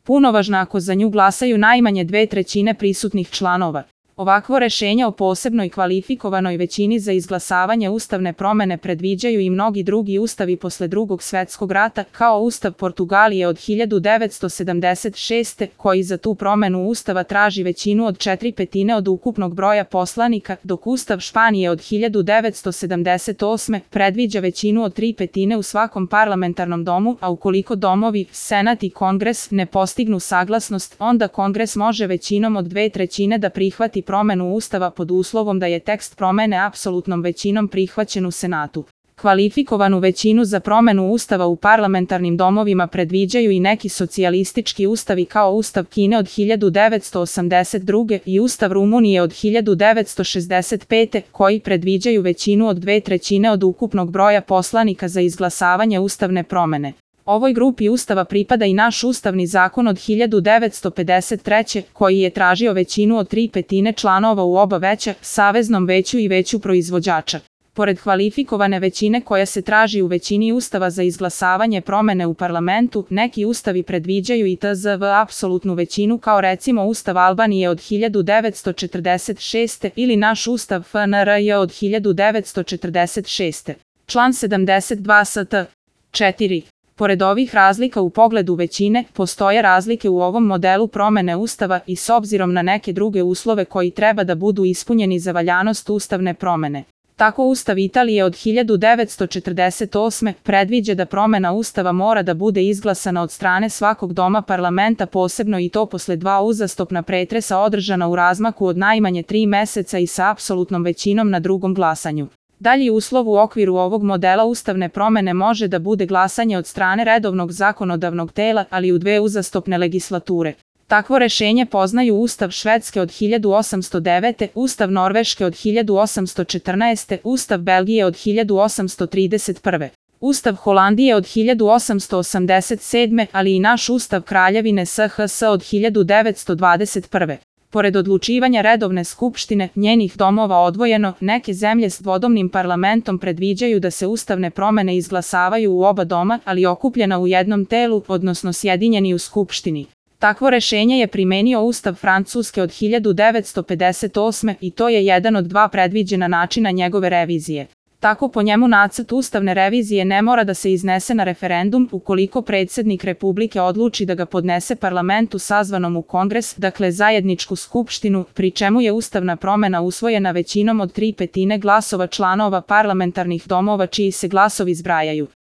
punovažna ako za nju glasaju najmanje 2/3 prisutnih članova. Ovakvo rešenje o posebnoj kvalifikovanoj većini za izglasavanje ustavne promene predviđaju i mnogi drugi ustavi posle Drugog svetskog rata, kao Ustav Portugalije od 1976. koji za tu promenu ustava traži većinu od 4/5 od ukupnog broja poslanika, dok Ustav Španije od 1978. predviđa većinu od 3/5 u svakom parlamentarnom domu, a ukoliko domovi, Senat i Kongres ne postignu saglasnost, onda Kongres može većinom od 2/3 da prihvati promenu Ustava pod uslovom da je tekst promene apsolutnom većinom prihvaćen u Senatu. Kvalifikovanu većinu za promenu Ustava u parlamentarnim domovima predviđaju i neki socijalistički ustavi kao Ustav Kine od 1982. i Ustav Rumunije od 1965. koji predviđaju većinu od 2/3 od ukupnog broja poslanika za izglasavanje ustavne promene. Ovoj grupi ustava pripada i naš ustavni zakon od 1953. koji je tražio većinu od 3/5 članova u oba veća, Saveznom veću i Veću proizvođača. Pored kvalifikovane većine koja se traži u većini ustava za izglasavanje promene u parlamentu, neki ustavi predviđaju i tzv. apsolutnu većinu kao recimo Ustav Albanije od 1946. ili naš Ustav FNRJ od 1946. Član 72 st. 4. Pored ovih razlika u pogledu većine, postoje razlike u ovom modelu promene Ustava i s obzirom na neke druge uslove koji treba da budu ispunjeni za valjanost ustavne promene. Tako Ustav Italije od 1948. predviđa da promena Ustava mora da bude izglasana od strane svakog doma parlamenta posebno i to posle 2 uzastopna pretresa održana u razmaku od najmanje 3 meseca i sa apsolutnom većinom na drugom glasanju. Dalji uslov u okviru ovog modela ustavne promene može da bude glasanje od strane redovnog zakonodavnog tela, ali u 2 uzastopne legislature. Takvo rešenje poznaju Ustav Švedske od 1809. Ustav Norveške od 1814. Ustav Belgije od 1831. Ustav Holandije od 1887. ali i naš Ustav Kraljevine SHS od 1921. Pored odlučivanja redovne skupštine, njenih domova odvojeno, neke zemlje s dvodomnim parlamentom predviđaju da se ustavne promene izglasavaju u oba doma, ali okupljena u jednom telu, odnosno sjedinjeni u skupštini. Takvo rešenje je primenio Ustav Francuske od 1958. i to je jedan od 2 predviđena načina njegove revizije. Tako po njemu nacrt ustavne revizije ne mora da se iznese na referendum ukoliko predsjednik Republike odluči da ga podnese parlamentu sazvanom u Kongres, dakle zajedničku skupštinu, pri čemu je ustavna promena usvojena većinom od 3/5 glasova članova parlamentarnih domova čiji se glasovi zbrajaju.